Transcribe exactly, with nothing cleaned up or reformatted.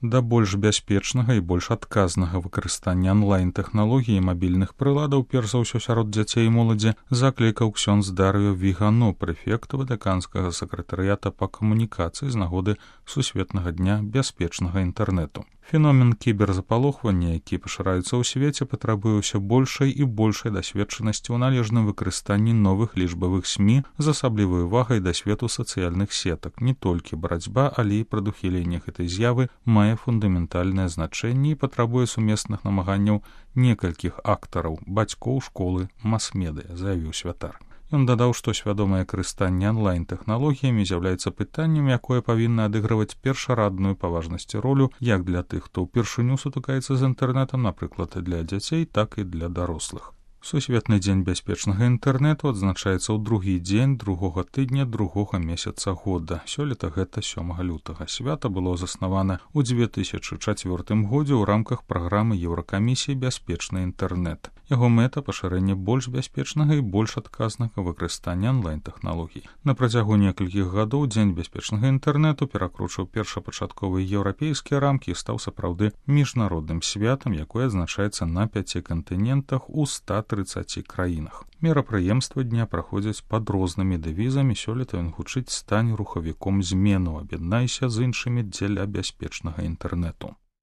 Да больш бяспечнага і больш адказнага выкарыстання онлайн-тэхналогій і мабільных прыладаў, перш за ўсё сярод дзяцей і моладзі, заклікаў ксёндз Дарыё Вігано, прэфект ватыканскага сакратарыята па камунікацыі з нагоды Сусветнага дня бяспечнага інтэрнэту. Феномен кіберзапалохвання, які пашыраецца ў свеце, патрабуе ўсё большай і большай дасведчанасці ў належным выкарыстанні новых лічбавых СМІ з асаблівай увагай да свету сацыяльных сетак. Не толькі барацьба, але і прадухіленне гэтай з'явы мае фундаментальнае значэнне і патрабуе сумесных намаганняў некалькіх актараў, бацькоў, школы, мас-медыя, заявіў святар. Ён дадаў, што свядомае карыстанне онлайн-тэхналогіямі з'яўляецца пытаннем, якое павінна адыгрываць першарадную па важнасці ролю як для тых, хто ўпершыню сутыкаецца з інтэрнэтам, напрыклад, для дзяцей, так і для дарослых. Сусветны дзень бяспечнага інтэрнэту адзначаецца ў другі дзень другога тыдня другога месяца года. Сёлета гэта сёмага лютага. Свята было заснавана ў дзве тысячы чацвёртым годзе ў рамках праграмы Еўракамісіі «Бяспечны інтэрнэт». Яго мэта – пашырэнне больш бяспечнага і больш адказнага выкарыстання онлайн-тэхналогій. На працягу некалькіх гадоў дзень бяспечнага інтэрнэту перакручыў першапачатковыя еўрапейскія рамкі і стаў сапраўды міжнародным святам, якое адзначаецца на пяці кантынентах у ста трыццаці краінах. Мерапрыемствы дня праходзяць пад рознымі дэвізамі. Сёлета ён гучыць «Стань рухавіком змену, аб'яднайся з іншымі дзеля бяспечнага інтэрнэту».